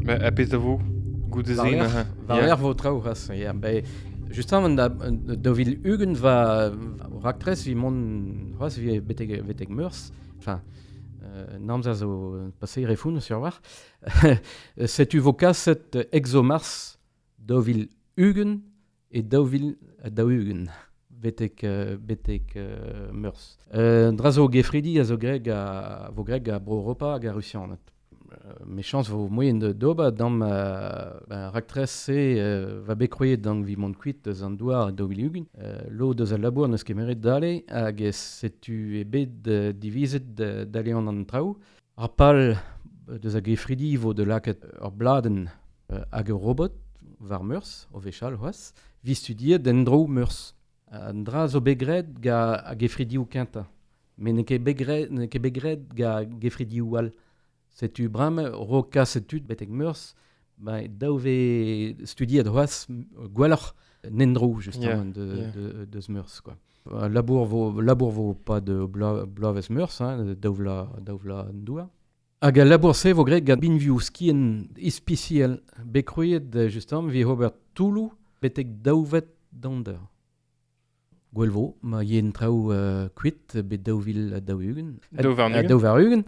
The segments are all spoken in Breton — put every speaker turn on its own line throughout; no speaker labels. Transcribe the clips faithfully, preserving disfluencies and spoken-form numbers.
Ba, a pezh da vo goude se
neuze. War lerc'h vo traoù c'hoazh, ya. Ba, justement, da, daou vil ugent va raktres vi mont c'hoazh vi betek, betek Meurzh. Enfin, euh, namzer zo passé refoun sur war. Setu vo kaset ExoMars daou vil ugent e daou vil daou ugent betek, euh, betek euh, Meurzh. Euh, dra zo gefridi a zo greg a, vo greg a bro Europa hag a Rusianed. Euh, mechañs vo moien de d'ober dam euh, ben, raktres se euh, va bet kroet dang vi mont kuit deus an douar daou vil ugent. Euh, lo deus al labour neus kemeret dale hag setu e bet euh, divizet dale an an traoù. Ar pal deus a gefridi vo de lakaat ur bladenn euh, hag ur robot war Meurzh, o vechal c'hoazh, vi studiet den dro Meurzh. An dra zo bet graet ga a gefridioù kentañ. Met n'eo ket bet graet, n'eo ket bet graet ga gefridioù all. Setu bram ro kaset tud betek Meurzh, ba daou ve studiet c'hoazh gwelloc'h n'endro justement yeah, de, yeah. de, deus Meurzh quoi. Labour vo labour vo pas de bla, bloavezh Meurzh hein, daou vla daou vla an douar. Hag al labour-se vo graet gant binvioù skien ispisial bet krouet justement vi ober toulou betek daouvet d'an Gwell vo, ma yen traoù euh, kuit bet daou vil daou ugent.
Daou var-ugent.
Daou var-ugent.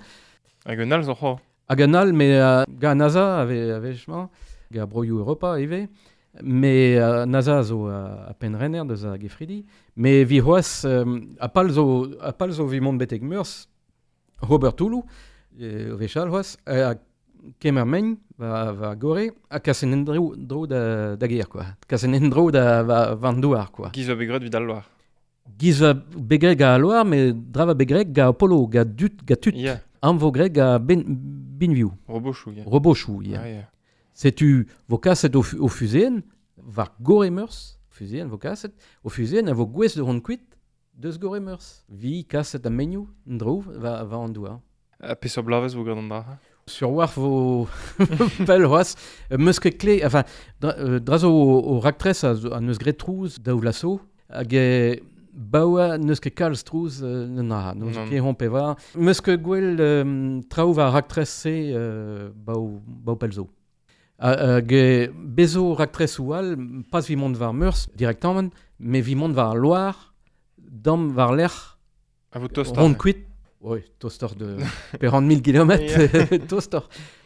Hag un all zo c'hoazh.
Hag un all, mais euh, ga NASA ave, avechmañ, ga broioù Europa ivez. Mais euh, NASA zo euh, a penn-renner deus a gefridi. Mais vi c'hoazh, euh, a pal zo, a pal zo vi mont betek Meurzh, Robert Toulou, euh, vechal c'hoazh, a kemer megn va, va gore, ha kasen en dro, dro da, da ger, quoi. Kasen en dro da va, van douar, quoi.
Giz va begret vid al loar.
Giz va begret ga al loar, mais dra va begret ga Apollo, ga dut, ga tut.
Yeah.
Am vo gret ga ben, binviou.
Robochou, yeah.
Robochou, yeah.
Ah, yeah.
Setu vo kaset o, o fuseen, war gore Meurzh, fuseen vo kaset, o fuseen a vo gwez de hon kuit deus gore Meurzh. Vi kaset a menioù, dro, va, va an douar.
A peseurt bloavezh vo gant an dra?
Sur war vo pell c'hoazh, meus ket kle, enfin, dra, euh, dra zo o, o raktres a, a neus graet trouz daou vlaso, hag e baoa neus ket kalz trouz euh, na, neus ket hon pevar. Meus ket gwell euh, traoù war raktres se euh, baou, baou pell zo. Hag e bezo raktres ou all, pas vi mont war Meurzh directement, mais vi mont war Loire, dam war lec'h,
a vo toster.
Hon kuit. Oui, toaster de quarante mille kilomètres, toaster.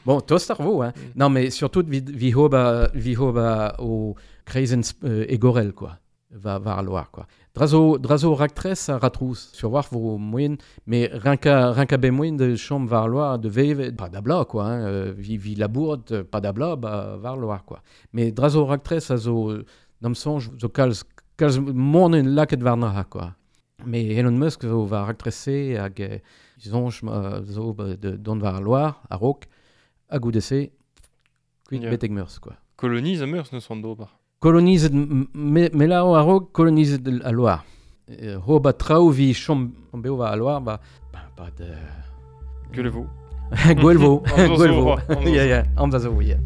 Bon, toaster vo, hein. Mm. Non, mais surtout, vi, vi hoba, vi hoba o kreizenn euh, egorel, quoi. Va, var al loar, quoi. Drazo, drazo raktres a ratrouz. Sur war vo moyen, mais rinka, rinka be moyen de chom var loar, de veve, pas d'abla, quoi, hein. Vi, vi labourt, pas d'abla, ba, var loar, quoi. Mais drazo raktres a zo, d'am sonj, zo kalz, kalz monen laket var naha, quoi. Mais Elon Musk zo va raktrese hag zonj zo de don var loar a raok hag goude-se kuit
yeah.
betek Meurzh quoi.
Koloniz a Meurzh neus an d'ober.
Kolonizet me, me la a raok kolonizet a loar. Euh, ho ba traoù vi chom beo va a loar ba ba, ba de
Gwell vo.
Gwell vo. Gwell vo. Yeah yeah, amzer zo, yeah.